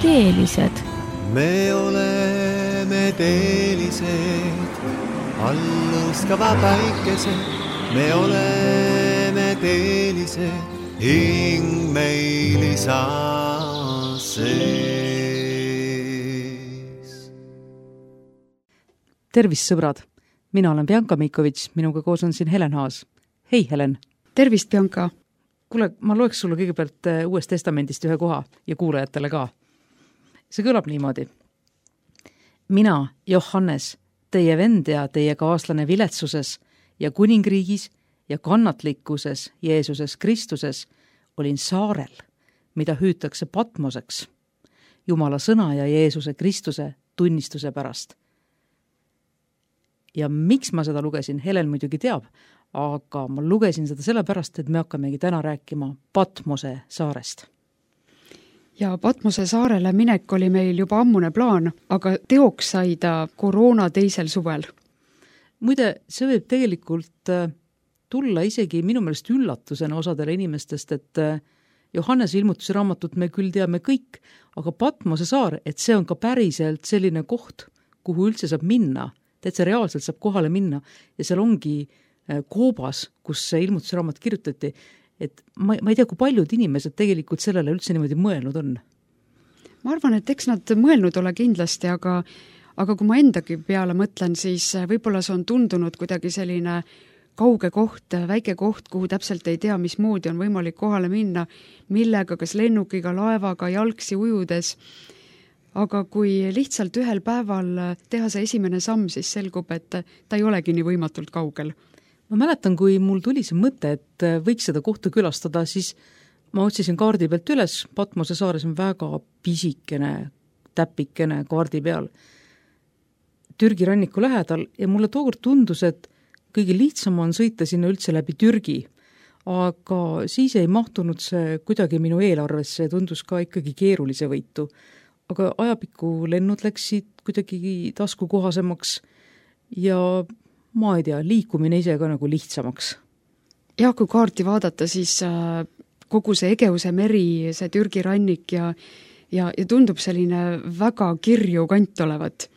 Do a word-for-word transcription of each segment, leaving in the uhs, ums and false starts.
teelised. Me oleme teelised, alluskava päikesed. Me oleme teelised, hing meil isa sees. Tervist, sõbrad! Mina olen Bianca Mikovits, minuga koos on siin Helen Haas. Hei, Helen! Tervist, Bianca! Kuule, ma loeks sulle kõigepealt Uuest Testamendist ühe koha ja kuulajatele ka. See kõlab niimoodi. Mina, Johannes, teie vend ja teie kaaslane viletsuses ja kuningriigis ja kannatlikkuses Jeesuses Kristuses olin saarel, mida hüütakse Patmoseks, Jumala sõna ja Jeesuse Kristuse tunnistuse pärast. Ja miks ma seda lugesin, Helen muidugi teab, aga ma lugesin seda sellepärast, et me hakkamegi täna rääkima Patmose saarest. Ja Patmose saarele minek oli meil juba ammune plaan, aga teoks sai ta koroona teisel suvel. Muide, see võib tegelikult tulla isegi minu meelest üllatusena osadele inimestest, et Johannese ilmutuse raamatut me küll teame kõik, aga Patmose saar, et see on ka päriselt selline koht, kuhu üldse saab minna, täitsa reaalselt saab kohale minna ja seal ongi koobas, kus see ilmutuse raamat kirjutati, et ma, ma ei tea, kui paljud inimesed tegelikult sellele üldse niimoodi mõelnud on. Ma arvan, et eks nad mõelnud ole kindlasti, aga, aga kui ma endagi peale mõtlen, siis võib-olla see on tundunud kuidagi selline kauge koht, väike koht, kuhu täpselt ei tea, mismoodi on võimalik kohale minna, millega, kas lennukiga, laevaga, jalgsi ujudes. Aga kui lihtsalt ühel päeval teha see esimene samm, siis selgub, et ta ei olegi nii võimatult kaugel. Ma mäletan, kui mul tuli see mõte, et võiks seda kohta külastada, siis ma otsisin kaardi pealt üles, Patmose saares on väga pisikene, täpikene kaardi peal Türgi ranniku lähedal ja mulle tookord tundus, et kõige lihtsam on sõita sinna üldse läbi Türgi, aga siis ei mahtunud see kuidagi minu eelarvesse ja tundus ka ikkagi keerulise võitu. Aga ajapikku lennud läksid kuidagi taskukohasemaks ja ma ei tea, liikumine ise ka nagu lihtsamaks. Ja kui kaarti vaadata, siis kogu see Egeuse meri, see Türgi rannik ja, ja, ja tundub selline väga kirju kant olevat.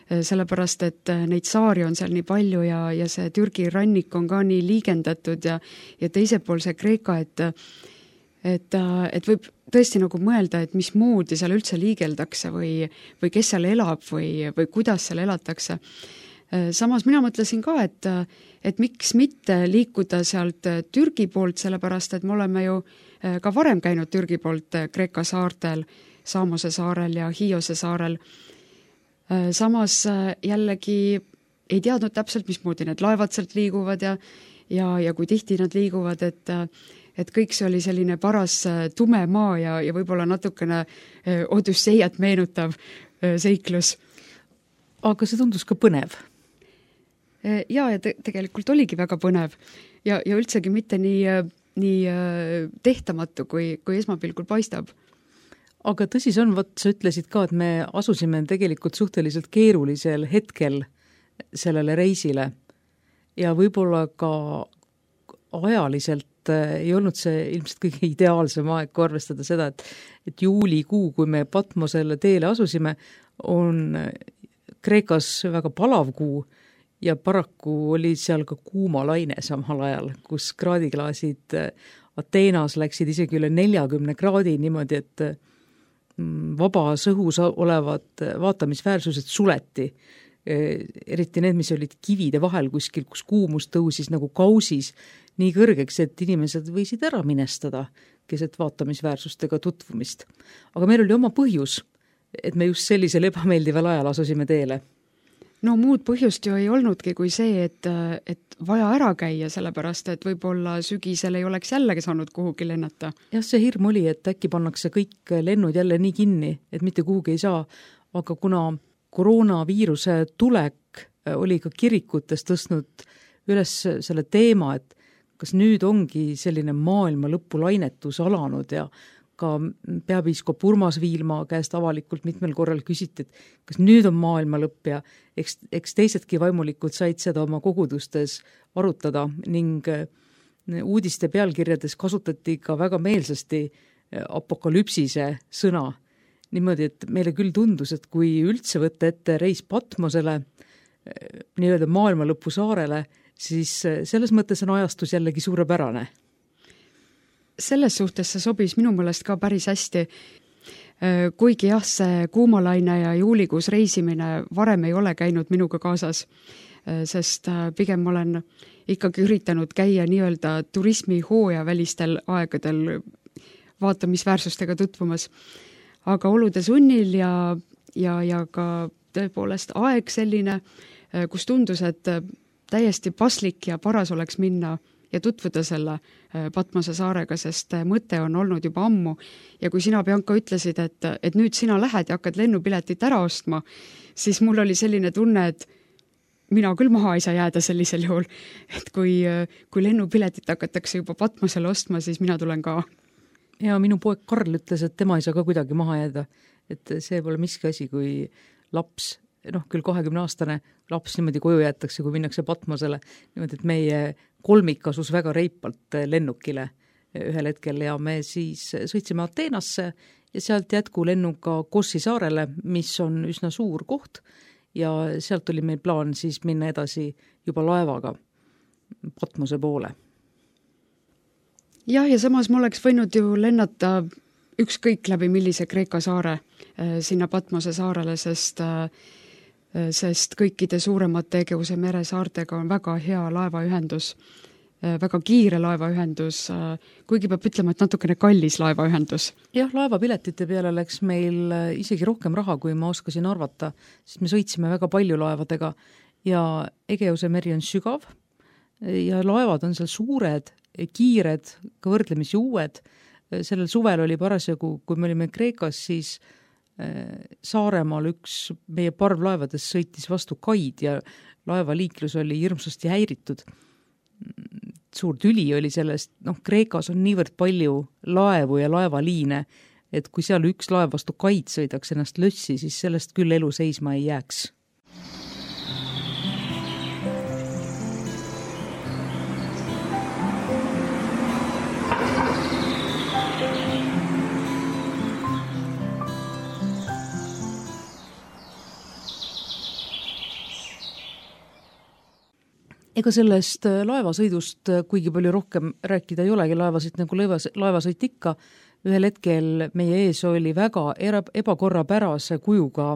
Sellepärast, et neid saari on seal nii palju ja, ja see Türgi rannik on ka nii liigendatud ja, ja teise pool see Kreeka, et, et, et võib tõesti nagu mõelda, et mis moodi seal üldse liigeldakse või, või kes seal elab või, või kuidas seal elatakse. Samas mina mõtlesin ka, et, et miks mitte liikuda sealt Türgi poolt, sellepärast, et me oleme ju ka varem käinud Türgi poolt Kreeka saartel, Saamose saarel ja Hiiose saarel. Samas jällegi ei teadnud täpselt, mismoodi need laevad sealt liiguvad ja, ja, ja kui tihti nad liiguvad, et, et kõik see oli selline paras tume maa ja, ja võib-olla natukene Odüsseiat meenutav seiklus. Aga see tundus ka põnev. Ja, ja te- tegelikult oligi väga põnev ja, ja üldsegi mitte nii, nii tehtamatu, kui, kui esmapilgul paistab. Aga tõsi see on, võt, sa ütlesid ka, et me asusime tegelikult suhteliselt keerulisel hetkel sellele reisile ja võib-olla ka ajaliselt ei olnud see ilmselt kõige ideaalsem aeg, kui arvestada seda, et, et juulikuu, kui me Patmosele teele asusime, on Kreekas väga palav kuu ja paraku oli seal ka kuuma laine samal ajal, kus kraadiklaasid Ateenas läksid isegi üle neljakümne kraadi niimoodi, et vabas õhus olevad vaatamisväärsused suleti. Eriti need, mis olid kivide vahel kuskil, kus kuumus tõusis nagu kausis nii kõrgeks, et inimesed võisid ära minestada keset vaatamisväärsustega tutvumist. Aga meil oli oma põhjus, et me just sellisel ebameeldival ajal asusime teele. No muud põhjust ju ei olnudki kui see, et, et vaja ära käia, sellepärast, et võib-olla sügisel ei oleks jällegi saanud kuhugi lennata. Jah, see hirm oli, et äkki pannakse kõik lennud jälle nii kinni, et mitte kuhugi ei saa, aga kuna koroonaviiruse tulek oli ka kirikutes tõstnud üles selle teema, et kas nüüd ongi selline maailma lõpu lainetus alanud ja ka peapiiskop Urmas Viilma käest avalikult mitmel korral küsiti, et kas nüüd on maailma lõpp ja eks, eks teisedki vaimulikud said seda oma kogudustes arutada ning uudiste pealkirjades kasutati ka väga meelsasti apokalüpsise sõna. niimoodi, et meile küll tundus, et kui üldse võtta ette reis Patmosele, nii-öelda maailmalõpu saarele, siis selles mõttes on ajastus jällegi suurepärane. Selles suhtes see sobis minu meelest ka päris hästi. Kuigi jah, see kuumalaine ja juulikuus reisimine varem ei ole käinud minuga kaasas, sest pigem ma olen ikkagi üritanud käia nii-öelda turismi hooja välistel aegadel vaatamisväärsustega tutvumas. Aga olude sunnil ja, ja, ja ka tõepoolest aeg selline, kus tundus, et täiesti paslik ja paras oleks minna ja tutvuda selle Patmose saarega, sest mõte on olnud juba ammu. Ja kui sina, Bianca, ütlesid, et, et nüüd sina lähed ja hakkad lennupiletit ära ostma, siis mul oli selline tunne, et mina küll maha ei saa jääda sellisel juhul, et kui, kui lennupiletit hakatakse juba Patmosele ostma, siis mina tulen ka. Ja minu poeg Karl ütles, et tema ei saa ka kuidagi maha jääda, et see pole miski asi, kui laps, noh küll kahekümne aastane laps niimoodi koju jäetakse, kui minnakse Patmosele, niimoodi, et meie kolmik asus väga reipalt lennukile ühel hetkel ja me siis sõitsime Ateenasse ja sealt jätku lennuga Kossi saarele, mis on üsna suur koht ja sealt oli meil plaan siis minna edasi juba laevaga Patmose poole. Jah, ja samas ma oleks võinud ju lennata ükskõik läbi millise Kreeka saare sinna Patmose saarele, sest, sest kõikide suuremate Egeuse mere saartega on väga hea laevaühendus, väga kiire laevaühendus, kuigi peab ütlema, et natukene kallis laevaühendus. Jah, laevapiletite peale läks meil isegi rohkem raha, kui ma oskasin arvata, sest me sõitsime väga palju laevadega ja Egeuse meri on sügav ja laevad on seal suured, kiired, ka võrdlemisi uued. Sellel suvel oli parasjagu, kui me olime Kreekas, siis Saaremaal üks meie parvlaevades sõitis vastu kaid ja laevaliiklus oli hirmsasti häiritud. Suur tüli oli sellest, noh, Kreekas on niivõrd palju laevu ja laevaliine, et kui seal üks laev vastu kaid sõidaks ennast lössi, siis sellest küll elu seisma ei jääks. Ega sellest laevasõidust kuigi palju rohkem rääkida ei olegi, laevasõit nagu laevasõit ikka. Ühel hetkel meie ees oli väga ebakorrapärase kujuga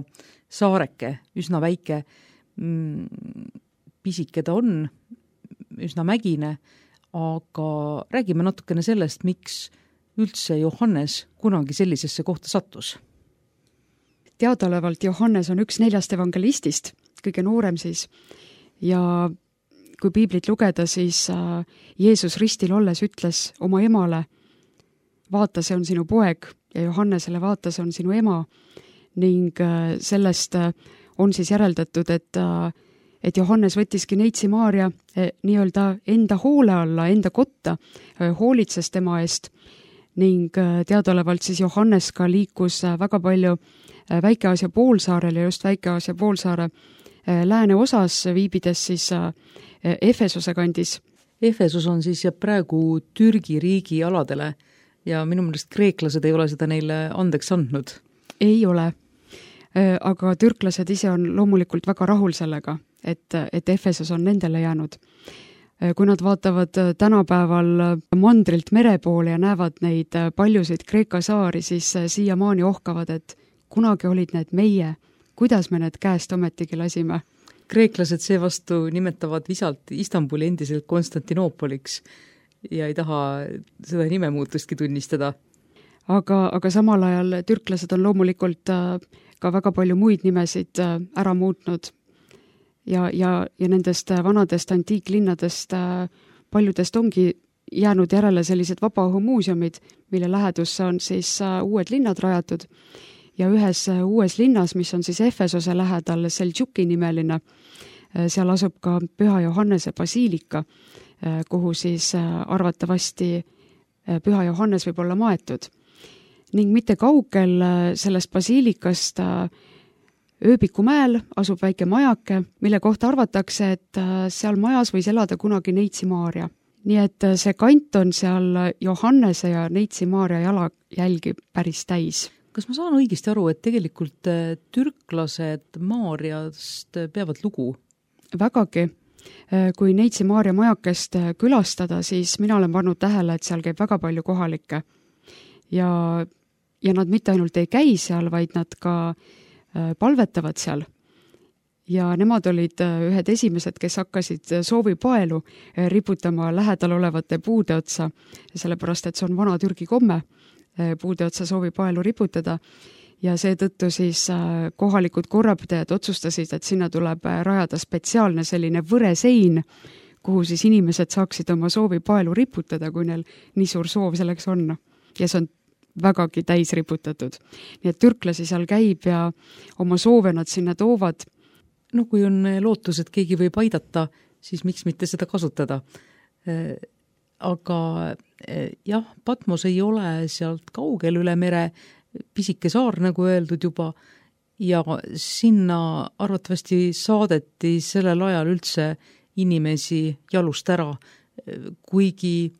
saareke, üsna väike, pisike ta on, üsna mägine, aga räägime natukene sellest, miks üldse Johannes kunagi sellisesse kohta sattus. Teadaolevalt Johannes on üks neljast evangelistist, kõige noorem siis, ja kui piiblit lugeda, siis Jeesus ristil olles ütles oma emale, vaata, see on sinu poeg, ja Johannesele vaata, see on sinu ema, ning sellest on siis järeldatud, et, et Johannes võttiski neitsi Maaria nii-öelda enda hoole alla, enda kotta, hoolitses tema eest, ning teadaolevalt siis Johannes ka liikus väga palju Väike-Aasia poolsaarel ja just Väike-Aasia poolsaare lääne osas viibides siis Efesose kandis. Efesus on siis ja praegu Türgi riigi aladele ja minu meelest kreeklased ei ole seda neile andeks andnud. Ei ole, aga türklased ise on loomulikult väga rahul sellega, et, et Efesos on nendele jäänud. Kui nad vaatavad tänapäeval mandrilt mere poole ja näevad neid paljusid Kreeka saari, siis siiamaani ohkavad, et kunagi olid need meie, kuidas me need käest ometigi lasime. Kreeklased seevastu nimetavad visalt Istanbuli endiselt Konstantinoopoliks ja ei taha seda nimemuutustki tunnistada. Aga, aga samal ajal türklased on loomulikult ka väga palju muid nimesid ära muutnud ja, ja, ja nendest vanadest antiiklinnadest paljudest ongi jäänud järele sellised vabaõhumuuseumid, mille lähedusse on siis uued linnad rajatud. Ja ühes uues linnas, mis on siis Efesose lähedal Seljuki nimeline, seal asub ka Püha Johannese basiilika, kuhu siis arvatavasti Püha Johannes võib olla maetud. Ning mitte kaugel sellest basiilikast Ööbikumäel asub väike majake, mille kohta arvatakse, et seal majas võis elada kunagi neitsi Maaria. Nii et see kant on seal Johannese ja neitsi Maaria jalajälgi päris täis. kas ma saan õigesti aru, et tegelikult türklased Maarjast peavad lugu? Vägagi. Kui Neitsi Maarja majakest külastada, siis mina olen pannud tähele, et seal käib väga palju kohalikke. Ja, ja nad mitte ainult ei käi seal, vaid nad ka palvetavad seal. Ja nemad olid ühed esimesed, kes hakkasid soovipaelu riputama lähedal olevate puude otsa, sellepärast, et see on vana Türgi komme puude otsa soovipaelu riputada ja seetõttu siis kohalikud korrapidajad otsustasid, et sinna tuleb rajada spetsiaalne selline võresein, kuhu siis inimesed saaksid oma soovipaelu riputada, kui neil nii suur soov selleks on. Ja see on vägagi täis riputatud. Nii et türklasi seal käib ja oma soove nad sinna toovad. No kui on lootus, et keegi võib aidata, siis miks mitte seda kasutada. Aga jah, Patmos ei ole sealt kaugel üle mere, pisike saar, nagu öeldud juba, ja sinna arvatavasti saadeti sellel ajal üldse inimesi jalust ära, kuigi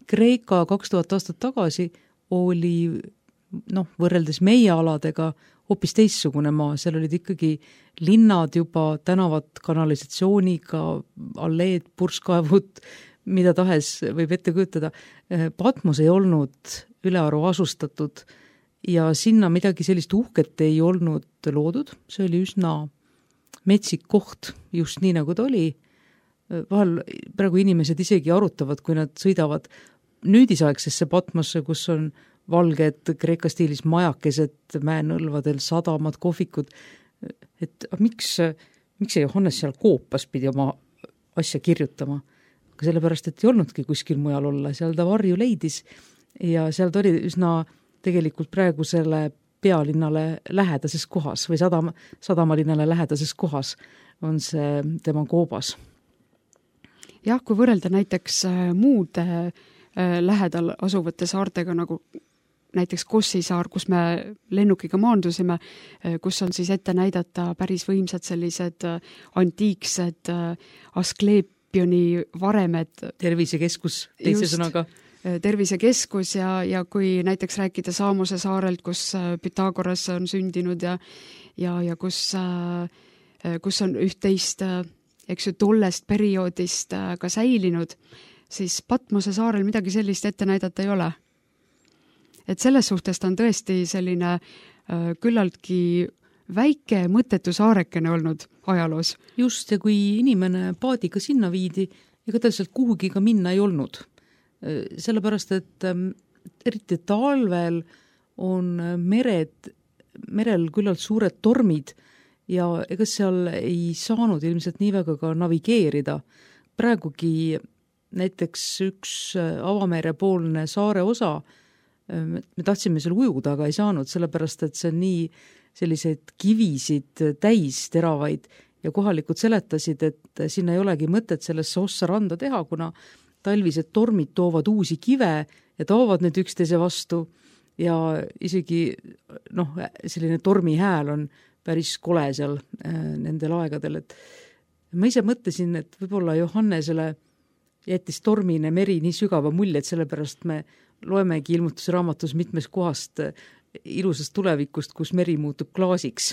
Kreeka kaks tuhat aastat tagasi oli noh, võrreldes meie aladega hoopis teissugune maa, seal olid ikkagi linnad juba, tänavad kanalisatsiooniga, alleed, purskkaevud, mida tahes võib ette kujutada. Patmos ei olnud ülearu asustatud ja sinna midagi sellist uhket ei olnud loodud, see oli üsna metsik koht, just nii nagu ta oli. Vahel praegu inimesed isegi arutavad, kui nad sõidavad nüüdisaegsesse Patmosse, kus on valged Kreeka stiilis majakesed, mäenõlvadel, sadamad, kohvikud, et miks, miks ei Johannes seal koopas pidi oma asja kirjutama? Aga sellepärast, et ei olnudki kuskil mujal olla, seal ta varju leidis ja seal ta oli üsna tegelikult praegusele pealinnale lähedases kohas või sadama, sadamalinnale lähedases kohas on see tema koobas. Jah, kui võrrelda näiteks muude lähedal asuvate saartega, nagu näiteks Kossi saar, kus me lennukiga maandusime, kus on siis ette näidata päris võimsad sellised antiiksed askleepioni varemed. Tervisekeskus, teise Just, sõnaga. Tervisekeskus ja, ja kui näiteks rääkida Saamose saarelt, kus Pythagoras on sündinud ja, ja, ja kus, kus on üht-teist, eks ju, tollest perioodist ka säilinud, siis Patmose saarel midagi sellist ette näidata ei ole. Et selles suhtes ta on tõesti selline äh, küllaltki väike mõttetu saarekene olnud ajaloos. Just, ja kui inimene paadiga sinna viidi, ega tal sealt kuhugi ka minna ei olnud. Sellepärast, et ähm, eriti talvel on mered, merel küllalt suured tormid ja ega seal ei saanud ilmselt nii väga ka navigeerida. Praegugi näiteks üks avamerepoolne saare osa, me tahtsime seal ujuda, aga ei saanud, sellepärast, et see on nii selliseid kivisid täis teravaid ja kohalikud seletasid, et sinna ei olegi mõtet sellesse ossa randa teha, kuna talvised tormid toovad uusi kive ja toovad need üksteise vastu ja isegi noh, selline tormi hääl on päris kole seal nendel aegadel, et ma ise mõtlesin, et võib-olla Johannesele jättis tormine meri nii sügava mulje, et sellepärast me loemegi ilmutusraamatus mitmes kohast ilusast tulevikust, kus meri muutub klaasiks.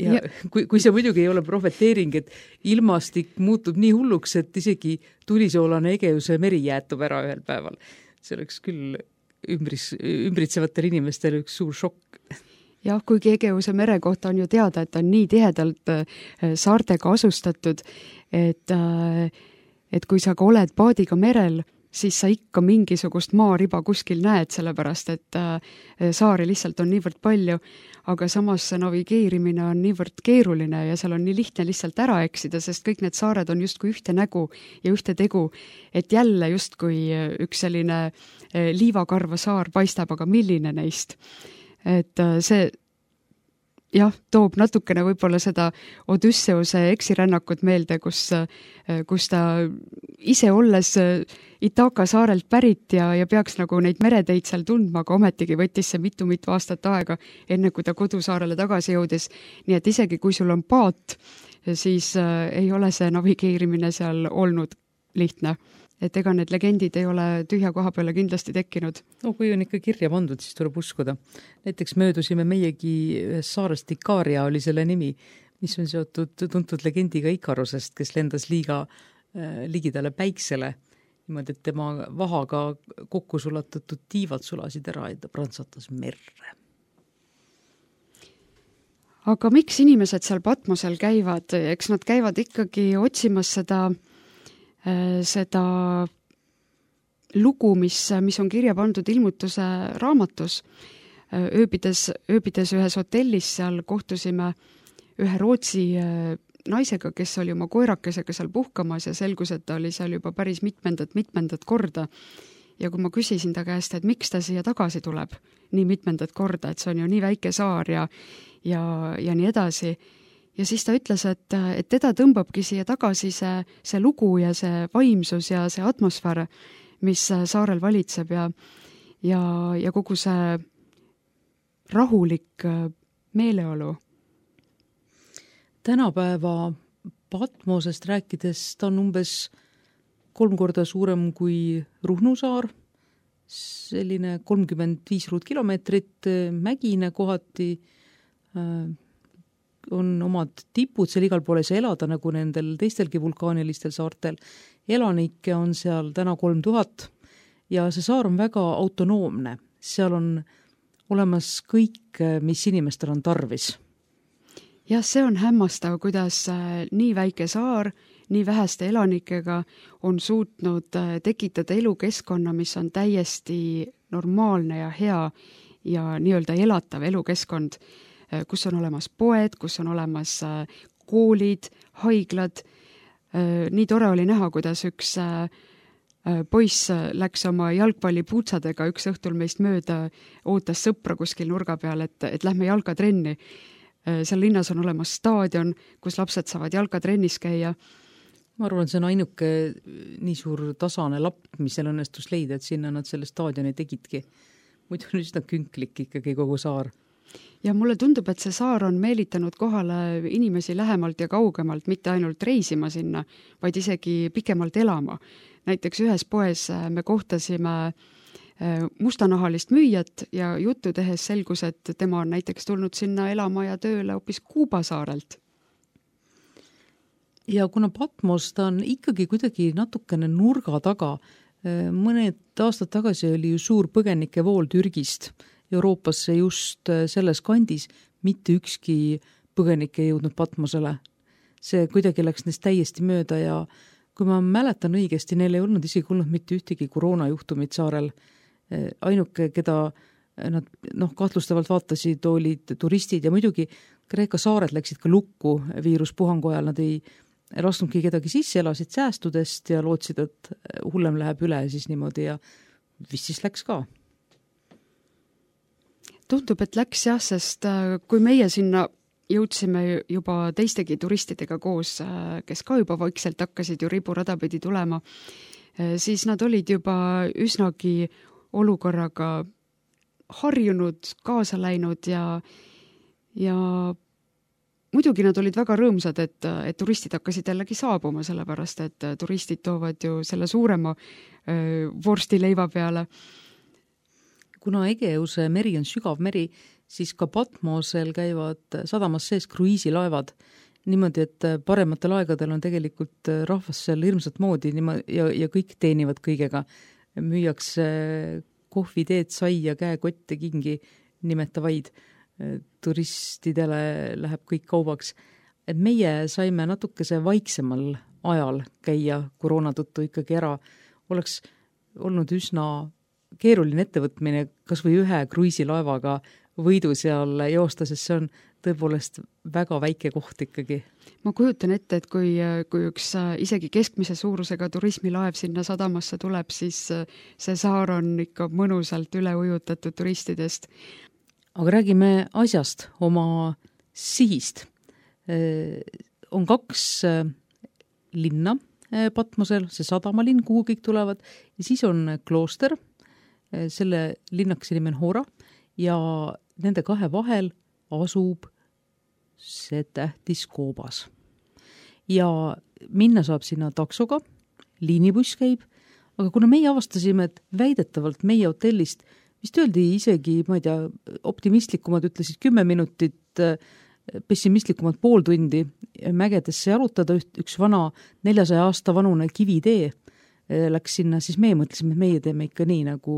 Ja, ja. Kui, kui see muidugi ei ole profeteering, et ilmastik muutub nii hulluks, et isegi tulisoolane Egeuse meri jäätub ära ühel päeval. See oleks küll ümbris, ümbritsevatel inimestel üks suur šokk. Jah, kuigi Egeuse mere kohta on ju teada, et on nii tihedalt saartega asustatud, et, et kui sa ka oled paadiga merel, siis sa ikka mingisugust maariba kuskil näed, sellepärast, et saari lihtsalt on niivõrd palju, aga samas see navigeerimine on niivõrd keeruline ja seal on nii lihtne lihtsalt ära eksida, sest kõik need saared on justkui ühte nägu ja ühte tegu, et jälle justkui üks selline liivakarva saar paistab, aga milline neist. Et see jah, toob natukene võib-olla seda Odysseuse eksirännakut meelde, kus, kus ta ise olles Itaka saarelt pärit ja, ja peaks nagu neid mereteid seal tundma, aga ometigi võttis see mitu-mitu aastat aega, enne kui ta kodusaarele tagasi jõudis. Nii et isegi kui sul on paat, siis ei ole see navigeerimine seal olnud lihtne. et ega need legendid ei ole tühja koha peale kindlasti tekkinud. No kui on ikka kirja pandud, siis tuleb uskuda. Näiteks möödusime meiegi ühes saarest Ikaria oli selle nimi, mis on seotud tuntud legendiga Ikarusest, kes lendas liiga äh, ligidale päiksele, niimoodi, et tema vahaga kokku sulatatud tiivad sulasid ära ja ta prantsatas merre. Aga miks inimesed seal Patmosel käivad? Eks nad käivad ikkagi otsimas seda seda lugu, mis, mis on kirja pandud ilmutuse raamatus. Ööbides, ööbides ühes hotellis seal kohtusime ühe Rootsi naisega, kes oli oma koerakesega seal puhkamas ja selgus, et ta oli seal juba päris mitmendat, mitmendat korda. Ja kui ma küsisin ta käest, et miks ta siia tagasi tuleb nii mitmendat korda, et see on ju nii väike saar ja, ja, ja nii edasi, ja siis ta ütles, et, et teda tõmbabki siia tagasi see, see lugu ja see vaimsus ja see atmosfäär, mis saarel valitseb ja, ja, ja kogu see rahulik meeleolu. Tänapäeva Patmosest rääkides ta on umbes kolm korda suurem kui Ruhnu saar, selline kolmkümmend viis ruutkilomeetrit, mägine kohati, on omad tipud, seal igal poole ei saa elada, nagu nendel teistelgi vulkaanilistel saartel. Elanikke on seal täna kolm tuhat ja see saar on väga autonoomne. Seal on olemas kõik, mis inimestel on tarvis. Jah, see on hämmastav, kuidas nii väike saar, nii väheste elanikega on suutnud tekitada elukeskkonna, mis on täiesti normaalne ja hea ja nii-öelda elatav elukeskkond, kus on olemas poed, kus on olemas koolid, haiglad. Nii tore oli näha, kuidas üks poiss läks oma jalgpallipuutsadega üks õhtul meist mööda, ootas sõpra kuskil nurga peal, et, et lähme jalkatrenni. Seal linnas on olemas staadion, kus lapsed saavad jalkatrennis käia. Ma arvan, see on ainuke nii suur tasane lapp, mis seal õnnestus leida, et sinna nad selle staadioni tegidki. Muidu on üsna künklik ikkagi kogu saar. Ja mulle tundub, et see saar on meelitanud kohale inimesi lähemalt ja kaugemalt, mitte ainult reisima sinna, vaid isegi pikemalt elama. Näiteks ühes poes me kohtasime mustanahalist müüjat ja juttu tehes selgus, et tema on näiteks tulnud sinna elama ja tööle hoopis Kuuba saarelt. Ja kuna Patmos ta on ikkagi kuidagi natukene nurga taga, mõned aastad tagasi oli ju suur põgenike vool Türgist Euroopasse just selles kandis, mitte ükski põgenik ei jõudnud Patmosele. See kuidagi läks neist täiesti mööda ja kui ma mäletan õigesti, neil ei olnud isegi olnud mitte ühtegi koroonajuhtumit saarel. Ainuke, keda nad noh, kahtlustavalt vaatasid, olid turistid ja muidugi Kreeka saared läksid ka lukku viiruspuhangu ajal, nad ei lasknudki kedagi sisse, elasid säästudest ja lootsid, et hullem läheb üle siis niimoodi ja vist siis läks ka. Tundub, et läks jah, sest kui meie sinna jõudsime juba teistegi turistidega koos, kes ka juba vaikselt hakkasid ju riburadapidi tulema, siis nad olid juba üsnagi olukorraga harjunud, kaasa läinud ja, ja muidugi nad olid väga rõõmsad, et, et turistid hakkasid jällegi saabuma, sellepärast et turistid toovad ju selle suurema vorsti leiva peale. Kuna Egeuse meri on sügav meri, siis ka Patmosel käivad sadamas sees kruiisilaevad. Niimoodi, et parematel aegadel on tegelikult rahvas seal hirmsat moodi ja, ja kõik teenivad kõigega. Müüakse kohvi, teed, saia, käekotte, kingi nimetavaid. Turistidele läheb kõik kaubaks. Et meie saime natukese vaiksemal ajal käia koroona tõttu ikkagi ära. Oleks olnud üsna keeruline ettevõtmine kas või ühe kruiisilaevaga võidu seal joosta, sest see on tõepoolest väga väike koht ikkagi. Ma kujutan ette, et kui, kui üks isegi keskmise suurusega turismilaev sinna sadamasse tuleb, siis see saar on ikka mõnusalt üle ujutatud turistidest. Aga räägime asjast, oma sihist. On kaks linna Patmosel, see sadamalinn, kuhu kõik tulevad, ja siis on klooster, selle linnakese nimi on Hora ja nende kahe vahel asub see tähtis koobas. Ja minna saab sinna taksoga, liinibuss käib, aga kuna meie avastasime, et väidetavalt meie hotellist vist öeldi isegi, ma ei tea, optimistlikumad ütlesid kümme minutit, pessimistlikumad pool tundi mägedesse jalutada, üks vana neljasaja aasta vanune kivitee läks sinna, siis meie mõtlesime, et meie teeme ikka nii, nagu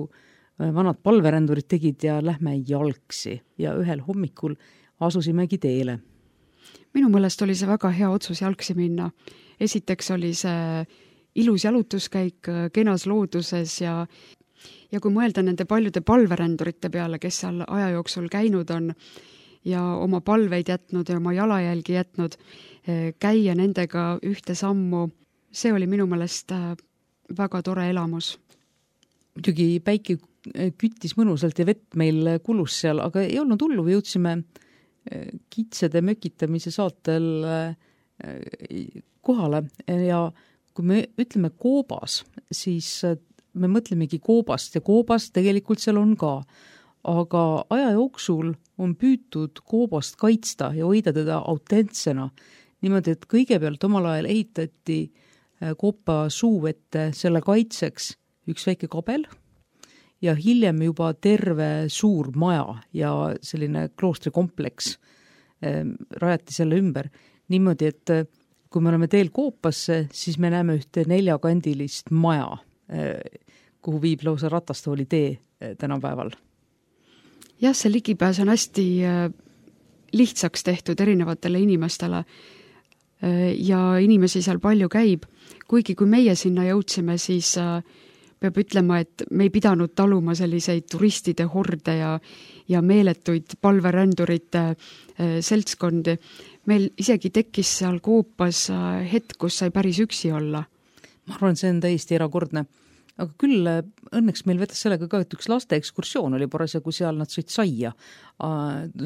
vanad palverändurid tegid ja lähme jalgsi ja ühel hommikul asusimegi teele. Minu mõelest oli see väga hea otsus jalgsi minna. Esiteks oli see ilus jalutuskäik kenas looduses ja Ja kui mõelda nende paljude palverändurite peale, kes seal aja jooksul käinud on ja oma palveid jätnud ja oma jalajälgi jätnud, käia nendega ühte sammu, see oli minu mõelest väga tore elamus. Muidugi päike küttis mõnusalt ja vett meil kulus seal, aga ei olnud hullu, või jõudsime kitsede mökitamise saatel kohale ja kui me ütleme koobas, siis me mõtlemegi koobast ja koobast tegelikult seal on ka, aga aja jooksul on püütud koobast kaitsta ja hoida teda autentsena. Niimoodi, et kõigepealt omal ajal ehitati koopa suuvette selle kaitseks üks väike kabel ja hiljem juba terve suur maja ja selline kloostrikompleks rajati selle ümber. Niimoodi, et kui me oleme teel koopasse, siis me näeme ühte neljakandilist maja, kuhu viib lausa ratastooli tee tänapäeval. Jah, see ligipääs on hästi lihtsaks tehtud erinevatele inimestele ja inimesi seal palju käib. Kuigi kui meie sinna jõudsime, siis peab ütlema, et me ei pidanud taluma selliseid turistide horde ja, ja meeletuid palverändurite seltskondi. Meil isegi tekkis seal koopas hetk, kus sai päris üksi olla. Ma arvan, see on täiesti erakordne. Aga küll õnneks meil vedas sellega ka, et üks laste ekskursioon oli parasjagu seal, nad sõid saia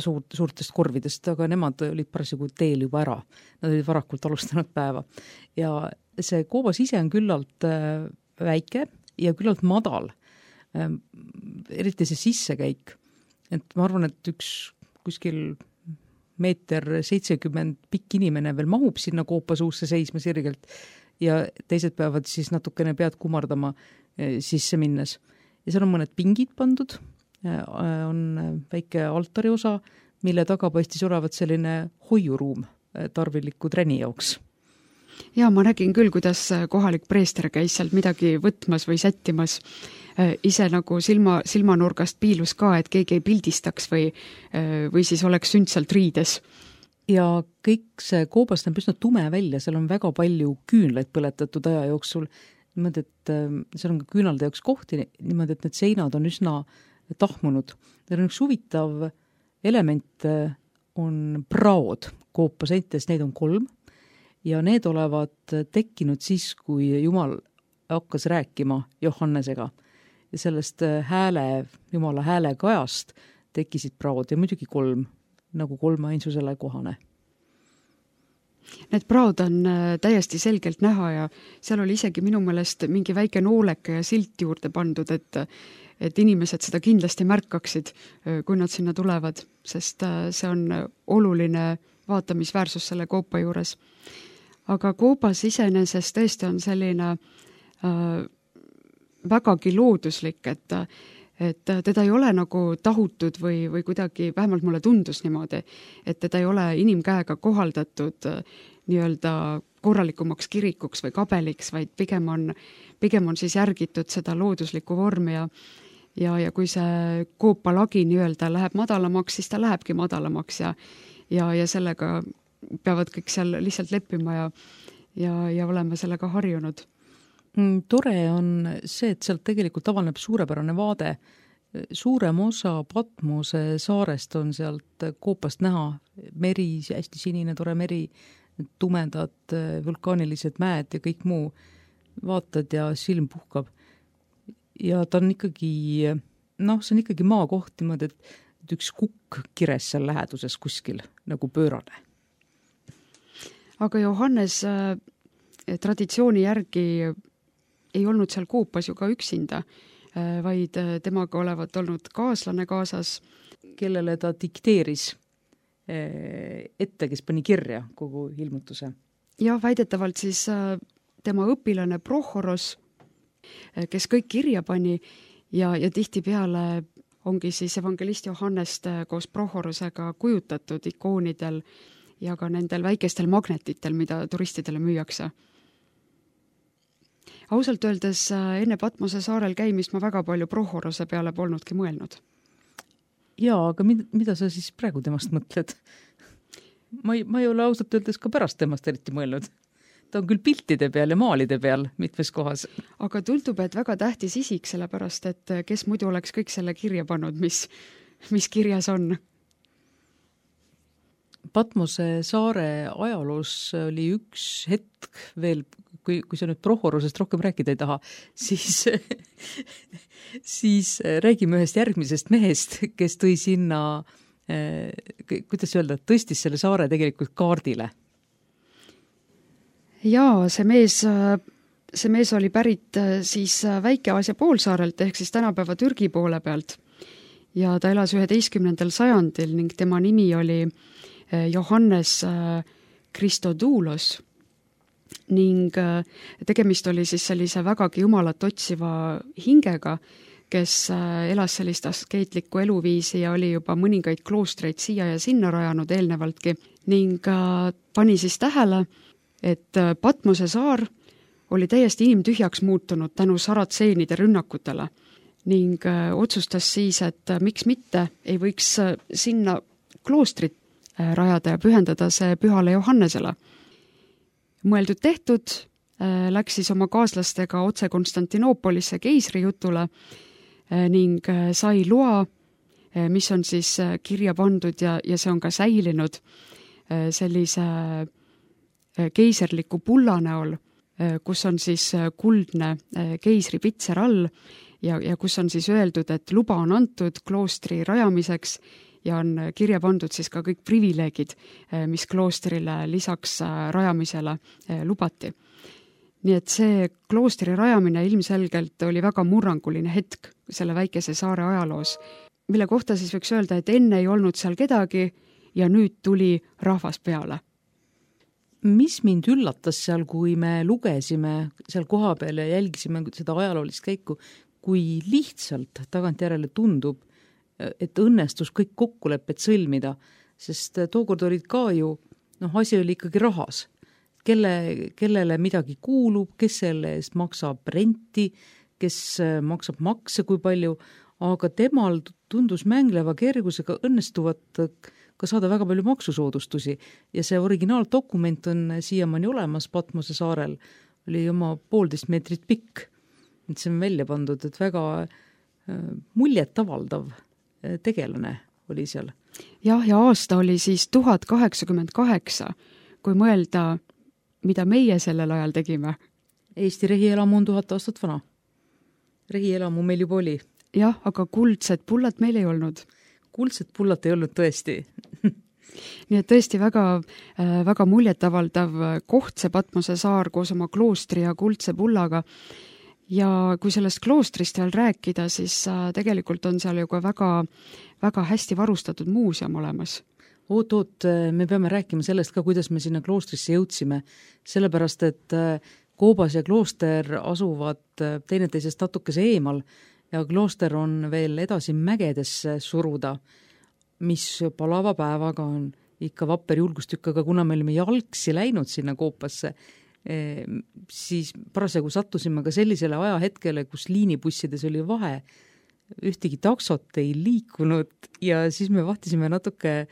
suur, suurtest korvidest, aga nemad olid parasjagu teel juba ära. Nad olid varakult alustanud päeva. Ja see koobas ise on küllalt väike ja küllalt madal. Eriti see sissekäik. Et ma arvan, et üks kuskil meeter seitsekümmend pikk inimene veel mahub sinna koopa suusse seisma sirgelt ja teised peavad siis natukene pead kumardama sisse minnes. Ja seal on mõned pingid pandud, on väike altari osa, mille taga paistis olevat selline hoiuruum tarviliku träni jaoks. Ja ma nägin küll, kuidas kohalik preester käis sealt midagi võtmas või sättimas. Ise nagu silma, silmanurgast piilus ka, et keegi ei pildistaks või, või siis oleks sündsalt riides. Ja kõik see koobast on üsna tume välja, seal on väga palju küünlaid põletatud aja jooksul. Niimoodi, et seal on ka küünalde jaoks kohti, niimoodi, et need seinad on üsna tahmunud. Neil on üks huvitav element, on praod koopa seintes, neid on kolm ja need olevat tekkinud siis, kui Jumal hakkas rääkima Johannesega. Ja sellest hääle, Jumala hääle kajast tekkisid praod ja muidugi kolm, nagu kolme ainsusele kohane. Need praod on täiesti selgelt näha ja seal oli isegi minu mõelest mingi väike nooleke ja silt juurde pandud, et, et inimesed seda kindlasti märkaksid, kui nad sinna tulevad, sest see on oluline vaatamisväärsus selle koopa juures. Aga koobas iseenesest tõesti on selline äh, vägagi looduslik, et et teda ei ole nagu tahutud või, või kuidagi, vähemalt mulle tundus niimoodi, et teda ei ole inimkäega kohaldatud nii-öelda korralikumaks kirikuks või kabeliks, vaid pigem on, pigem on siis järgitud seda looduslikku vormi ja, ja, ja kui see koopalagi nii-öelda läheb madalamaks, siis ta lähebki madalamaks ja, ja, ja sellega peavad kõik seal lihtsalt leppima ja, ja, ja olema sellega harjunud. Tore on see, et sealt tegelikult avaneb suurepärane vaade. Suurem osa Patmose saarest on sealt koopast näha. Meri, hästi sinine, tore meri, tumedad vulkaanilised mäed ja kõik muu. Vaatad ja silm puhkab. Ja ta on ikkagi, noh, see on ikkagi maakoht niimoodi, et üks kukk kires seal läheduses kuskil, nagu pöörane. Aga Johannes äh, traditsiooni järgi ei olnud seal koopas ju ka üksinda, vaid temaga olevat olnud kaaslane kaasas, kellele ta dikteeris ette, kes pani kirja kogu ilmutuse. Ja väidetavalt siis tema õpilane Prohoros kes kõik kirja pani ja, ja tihtipeale ongi siis evangelist Johannest koos Prohorusega kujutatud ikoonidel ja ka nendel väikestel magnetitel, mida turistidele müüakse. Ausalt öeldes enne Patmose saarel käimist ma väga palju Prohoruse peale polnudki mõelnud. Jaa, aga mida, mida sa siis praegu temast mõtled? Ma ei, ma ei ole ausalt öeldes ka pärast temast eriti mõelnud. Ta on küll piltide peal ja maalide peal mitmes kohas. Aga tundub, et väga tähtis isik, sellepärast, et kes muidu oleks kõik selle kirja pannud, mis, mis kirjas on? Patmose saare ajaloos oli üks hetk veel, kui, kui sa nüüd Prohorusest rohkem rääkida ei taha, siis, siis räägime ühest järgmisest mehest, kes tõi sinna, kuidas öelda, tõstis selle saare tegelikult kaardile. Jaa, see mees, see mees oli pärit siis Väike-Aasia poolsaarelt ehk siis tänapäeva Türgi poole pealt ja ta elas üheteistkümnendal sajandil ning tema nimi oli Johannes Christodoulos ning tegemist oli siis sellise vägagi jumalat otsiva hingega, kes elas sellist askeetlikku eluviisi ja oli juba mõningaid kloostreid siia ja sinna rajanud eelnevaltki ning pani siis tähele, et Patmose saar oli täiesti inimtühjaks muutunud tänu saratseenide rünnakutele ning otsustas siis, et miks mitte ei võiks sinna kloostrit rajada ja pühendada see pühale Johannesele. Mõeldud tehtud, läks siis oma kaaslastega otse Konstantinoopolisse keisri jutule ning sai loa, mis on siis kirja pandud ja, ja see on ka säilinud sellise keiserliku pulla näol, kus on siis kuldne keisri pitser all ja, ja kus on siis öeldud, et luba on antud kloostri rajamiseks ja on kirja pandud siis ka kõik privileegid, mis kloostrile lisaks rajamisele lubati. Nii et see kloostri rajamine ilmselgelt oli väga murranguline hetk selle väikese saare ajaloos, mille kohta siis võiks öelda, et enne ei olnud seal kedagi ja nüüd tuli rahvas peale. Mis mind üllatas seal, kui me lugesime seal koha peal ja jälgisime seda ajaloolist käiku, kui lihtsalt tagantjärele tundub, et õnnestus kõik kokkulepped sõlmida, sest tookord olid ka ju, noh, asi oli ikkagi rahas. Kelle, kellele midagi kuulub, kes selle eest maksab renti, kes maksab makse kui palju, aga temal tundus mängleva kergusega õnnestuvat ka saada väga palju maksusoodustusi ja see originaaldokument on siiamaani olemas Patmose saarel, oli oma poolteist meetrit pikk, et see on välja pandud, et väga muljet avaldav tegelane oli seal. Jah, ja aasta oli siis tuhat kaheksakümmend kaheksa, kui mõelda, mida meie sellel ajal tegime. Eesti rehielamu on tuhat aastat vana. Rehielamu meil juba oli. Jah, aga kuldsed pullad meil ei olnud. Kuldsed pullad ei olnud tõesti. Nii et tõesti väga, väga muljetavaldav koht see Patmose saar koos oma kloostri ja kuldse pullaga. Ja kui sellest kloostrist veel rääkida, siis tegelikult on seal ju ka väga, väga hästi varustatud muuseum olemas. Oot, oot, me peame rääkima sellest ka, kuidas me sinna kloostrisse jõudsime, sellepärast, et Koobas ja klooster asuvad teineteisest natukese eemal ja klooster on veel edasi mägedesse suruda, mis palava päevaga on ikka vapper julgustükk, aga kuna me olime jalgsi läinud sinna Koopasse, siis parasjagu sattusime ka sellisele ajahetkele, kus liinibussides oli vahe, ühtegi taksot ei liikunud ja siis me vahtisime natuke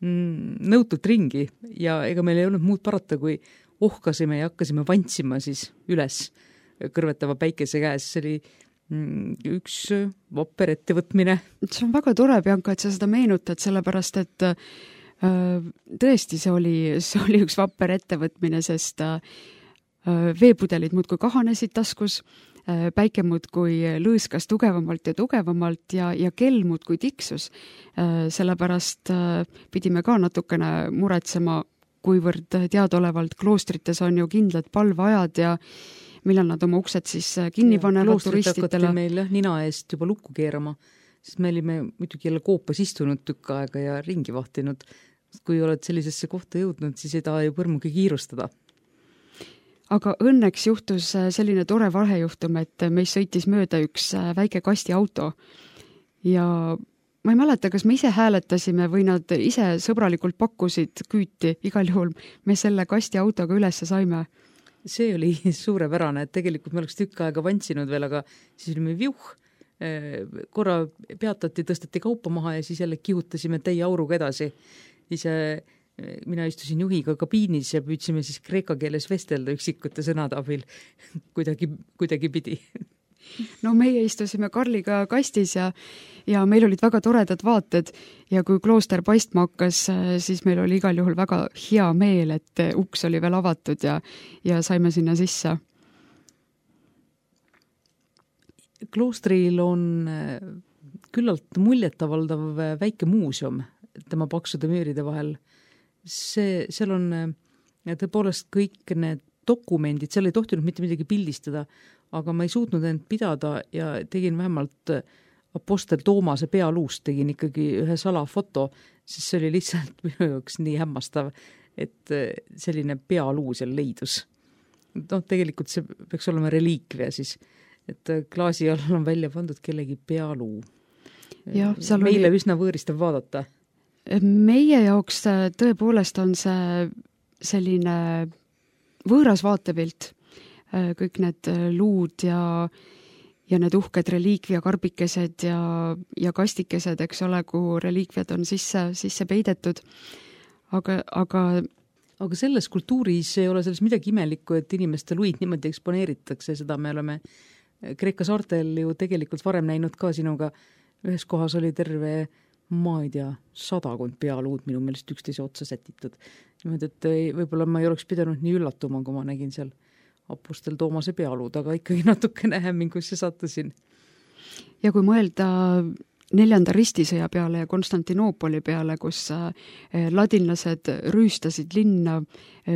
nõutult ringi ja ega meil ei olnud muud parata, kui ohkasime ja hakkasime vantsima siis üles kõrvetava päikese käes. See oli üks vapper ettevõtmine. See on väga tore, Bianca, et sa seda meenutad, sellepärast, et tõesti see oli, see oli üks vapper ettevõtmine, sest veepudelid muudkui kahanesid taskus, päike muudkui lõõskas tugevamalt ja tugevamalt ja, ja kell muudkui tiksus. Sellepärast pidime ka natukene muretsema, kuivõrd teadaolevalt kloostrites on ju kindlad palveajad ja millal nad oma uksed siis kinni panevad turistitele. Meil nina eest juba lukku keerama, sest me olime muidugi jälle Koopas istunud tükk aega ja ringi vahtinud. Kui oled sellisesse kohta jõudnud, siis ei taha ju põrmugi kiirustada. aga õnneks juhtus selline tore vahejuhtum, et meist sõitis mööda üks väike kastiauto ja ma ei mäleta, kas me ise hääletasime või nad ise sõbralikult pakkusid küüti, igal juhul me selle kastiautoga ülesse saime. See oli suurepärane, et tegelikult me oleks tükk aega vantsinud veel, aga siis olime viuh, korra peatati, tõstati kaupa maha ja siis jälle kihutasime täie auruga edasi. Ise mina istusin juhiga kabiinis ja püüdsime siis kreeka keeles vestelda üksikute sõnade abil kuidagi, kuidagi pidi. No meie istusime Karliga kastis ja, ja meil olid väga toredad vaated ja kui klooster paistma hakkas, siis meil oli igal juhul väga hea meel, et uks oli veel avatud ja, ja saime sinna sisse. Kloostril on küllalt muljetavaldav väike muuseum tema paksude müüride vahel. See, seal on tõepoolest kõik need dokumendid, seal ei tohtinud mitte midagi pildistada, aga ma ei suutnud end pidada ja tegin vähemalt Apostel Toomase pealuust tegin ikkagi ühe salafoto, sest see oli lihtsalt minu jaoks nii hämmastav, et selline pealuu seal leidus. No tegelikult see peaks olema reliikvia siis, et klaasi all on välja pandud kellegi pealuu. Ja, meile oli... üsna võõristav vaadata. Meie jaoks tõepoolest on see selline võõras vaatepilt, kõik need luud ja, ja need uhked reliikvia karbikesed ja, ja kastikesed, eks ole, kuhu reliikviad on sisse, sisse peidetud. Aga, aga... aga selles kultuuris ei ole selles midagi imelikku, et inimeste luid niimoodi eksponeeritakse, seda me oleme Kreeka saartel ju tegelikult varem näinud ka sinuga. Ühes kohas oli terve, ma ei tea, sadakond pealuud minu meelest üksteise otsa sätitud. Niimoodi, et võib-olla ma ei oleks pidanud nii üllatuma, kui ma nägin seal Apostel Toomase pealuud, aga ikkagi natukene hämmingusse sattusin. Ja kui mõelda neljanda ristisõja peale ja Konstantinoopoli peale, kus ladinlased rüüstasid linna